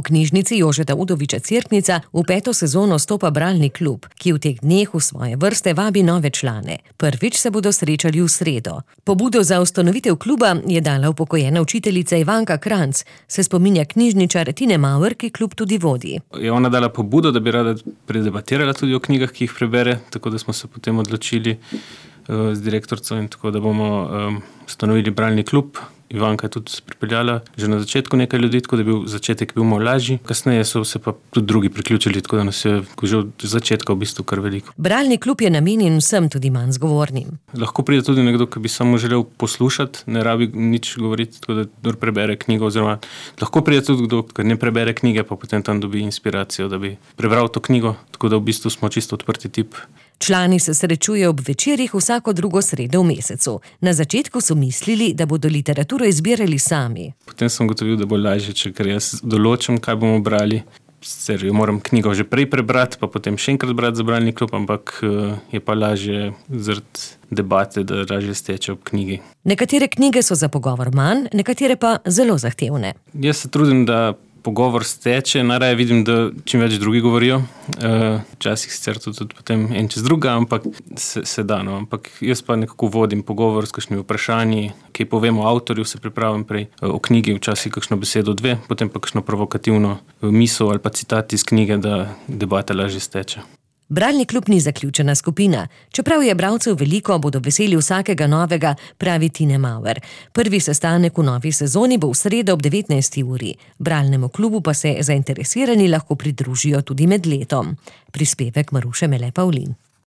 V knjižnici Jožeta Udoviča Cerknica v 5. sezono stopa bralni klub, ki v teh dneh v svoje vrste vabi nove člane. Prvič se bodo srečali v sredo. Pobudo za ustanovitev kluba je dala upokojena učiteljica Ivanka Kranc, se spominja knjižničar Tine Mauer, ki klub tudi vodi. Je ona dala pobudo, da bi rada predebatirala tudi o knjigah, ki jih prebere, tako da smo se potem odločili z direktorico in tako, da bomo ustanovili bralni klub. Ivanka je tudi pripeljala že na začetku nekaj ljudi, tako da je bil začetek malo lažji. Kasneje so se pa tudi drugi priključili, tako da nas je že od začetka v bistvu kar veliko. Bralni klub je namenjen vsem, tudi manj zgovornim. Lahko pride tudi nekdo, ki bi samo želel poslušati, ne rabi nič govoriti, tako da kdor prebere knjigo, oziroma lahko pride tudi kdo, ki ne prebere knjige, pa potem tam dobi inspiracijo, da bi prebral to knjigo, tako da v bistvu smo čisto odprti tip. Člani se srečujejo ob večerih vsako drugo sredo v mesecu. Na začetku so mislili, da bodo literaturo izbirali sami. Potem sem ugotovil, da bo lažje, ker jaz določim, kaj bomo brali. Sicer jo moram knjigo že prej prebrati, pa potem še enkrat brati za bralni klub, ampak je pa lažje zaradi debate, da lažje steče ob knjigi. Nekatere knjige so za pogovor manj, nekatere pa zelo zahtevne. Jaz se trudim, da pogovor steče, najraje vidim, da čim več drugi govorijo. Včasih sicer tudi potem en čez druga, ampak se da, no. Ampak jaz pa nekako vodim pogovor s kakšnimi vprašanji, ki povem o avtorju, se pripravim prej o knjigi, včasih kakšno besedo dve, potem pa kakšno provokativno misel ali pa citat iz knjige, da debata lažje steče. Bralni klub ni zaključena skupina. Čeprav je bralcev veliko, bodo veseli vsakega novega, pravi Tine Mauer. Prvi sestanek v novi sezoni bo v sredo ob 19. uri. Bralnemu klubu pa se zainteresirani lahko pridružijo tudi med letom. Prispevek Maruše Mele Pavlin.